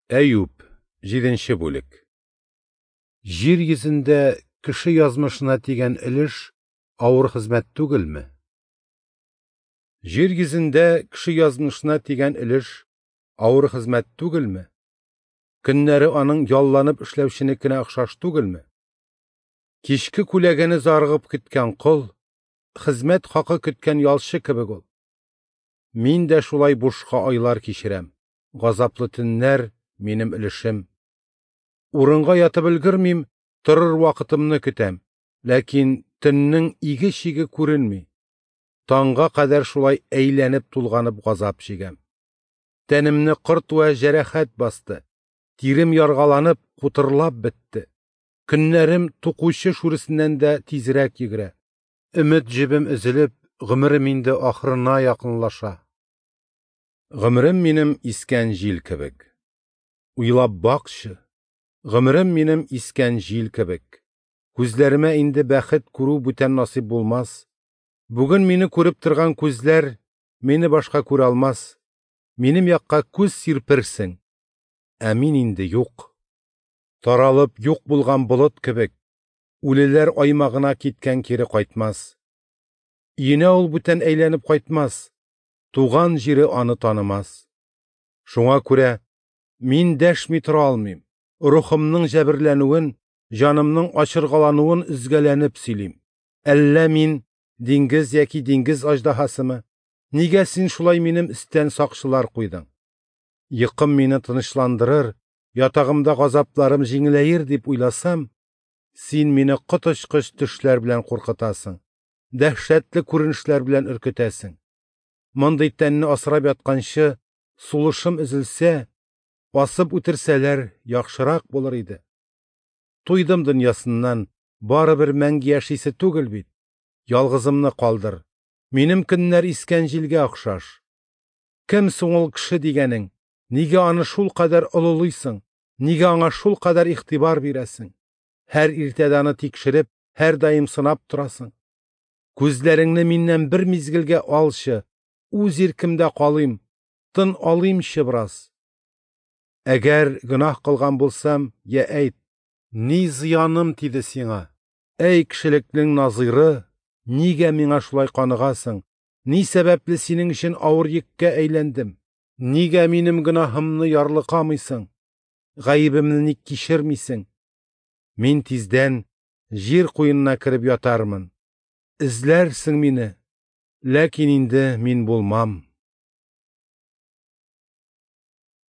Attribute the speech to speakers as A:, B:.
A: Әюп, 7 бүлек. Җир йөзендә кеше язмышына тигән өлеш авыр хезмәт түгелме? Җир йөзендә кеше язмышына тигән өлеш авыр хезмәт түгелме? Көннәре аның ялланып эшләүченекенә охшаш түгелме? Кичке күләгәне зарыгып көткән кол, хезмәт хакы көткән ялчы кебек ул. Мин дә шулай бушка айлар кичерәм, газаплы төннәр минем өлешем. Урынга ятып өлгермим, торыр вакытымны көтәм, ләкин төннең иге-чиге күренми. Таңга кадәр шулай әйләнеп-тулганып газап чигәм. Тәнемне корт вә җәрәхәт басты, тирем яргаланып, кутырлап бетте. Көннәрем тукучы шүресеннән дә тизрәк йөгерә. Өмет җебем өзелеп, гомерем инде ахырына якынлаша. Гомерем минем искән җил кебек. Уйлап бакчы, гомерем минем искән җил кебек. Күзләремә инде бәхет күрү бүтән насыйп булмас. Бүген мине күреп торган күзләр мине башка күрә алмас. Минем якка күз сирперсең, ә мин инде юк. Таралып юк булган болыт кебек, үлеләр аймагына киткән кире кайтмас. Өенә ул бүтән әйләнеп кайтмас, туган җире аны танымас. Шуңа күрә мин дәшми тора алмыйм, рухымның җәберләнүен, җанымның ачыргалануын өзгәләнеп сөйлим. Әллә мин диңгез яки диңгез аждаһасымы? Нигә син шулай минем өстән сакчылар куйдың? Йокым мине тынычландырыр, ятагымда газапларым җиңеләер дип уйласам, син мине коточкыч төшләр белән куркытасың, дәһшәтле күренешләр белән өркетәсең. Мондый тәнне асрап ятканчы, сулышым өзелсә, асып үтерсәләр, яхшырак булыр иде. Туйдым дөньясыннан, барыбер мәңге яшисе түгел бит. Ялгызымны калдыр. Минем көннәр искән җилгә охшаш. Кем соң ул кеше дигәнең? Нигә аны шул кадәр олылыйсың? Нигә аңа шул кадәр игътибар бирәсең? Һәр иртәдә аны тикшереп, һәрдаим сынап торасың. Күзләреңне миннән бер мизгелгә алчы, үз иркемдә калыйм, тын алыймчы бераз. Әгәр гөнаһ кылган булсам, я әйт, ни зыяным тиде сиңа? Әй кешелекнең назыйры, нигә миңа шулай каныгасың? Ни сәбәпле синең өчен авыр йөккә әйләндем? Нигә минем гөнаһымны ярлыкамыйсың? Гаебемне ник кичермисең? Мин тиздән җир куенына кереп ятармын. Эзләрсең мине, ләкин инде мин булмам.